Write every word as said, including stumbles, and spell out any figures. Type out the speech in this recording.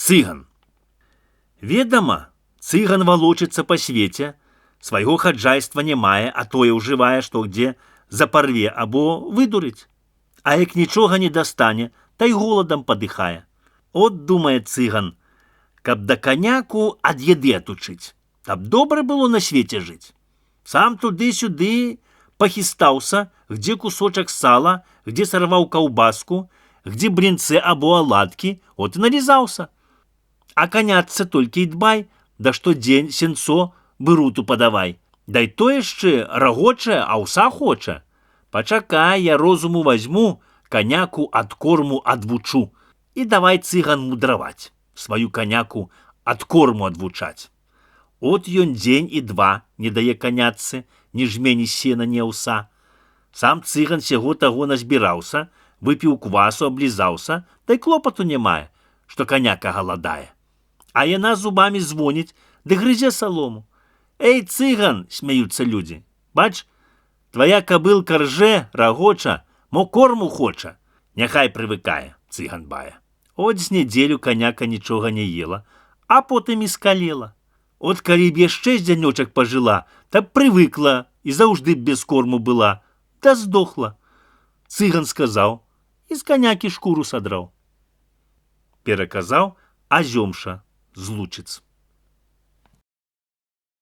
Цыган. Ведама, цыган валочыцца па свеце, свайго хаджайства не мае, а тое ўжывае, што где запарве або выдурыць. А як нічога не дастане, та й голадам падыхае. От думае цыган, каб да каняку ад еды атучыць, каб добра было на свеце жыць. Сам туды-сюды пахістаўся, где кусочак сала, где сарваў каўбаску, где брынцы або аладкі, от і налізаўся. А каняцца толькі і дбай, да штодзень сенцо быруту падавай. Дай то яшчэ рагоча, аўса хоча. Пачакай, я розуму вазьму, каняку ад корму адвучу. І давай цыган мудраваць, сваю каняку ад корму адвучаць. От ён дзень і два не дае канятцы, ні жмені сена, ні аўса. Сам цыган сяго таго назбіраўся, выпіў квасу, аблізаўся, дай клопату не мае, што каняка галадае. А яна зубамі звоніць, ды грызе салому. Эй, цыган, смяюцца людзі, бач, твая кабылка ржэ, рагоча, мо корму хоча. Няхай прывыкае, цыган бае. От з нядзелю каняка нічога не ела, а потым і скалела. От калі б яшчэ з дзянёчак пажыла, та б прывыкла і заўжды б без корму была, та здохла. Цыган сказаў і з канякі шкуру садраў. Пераказаў Азёмша з Лучыц.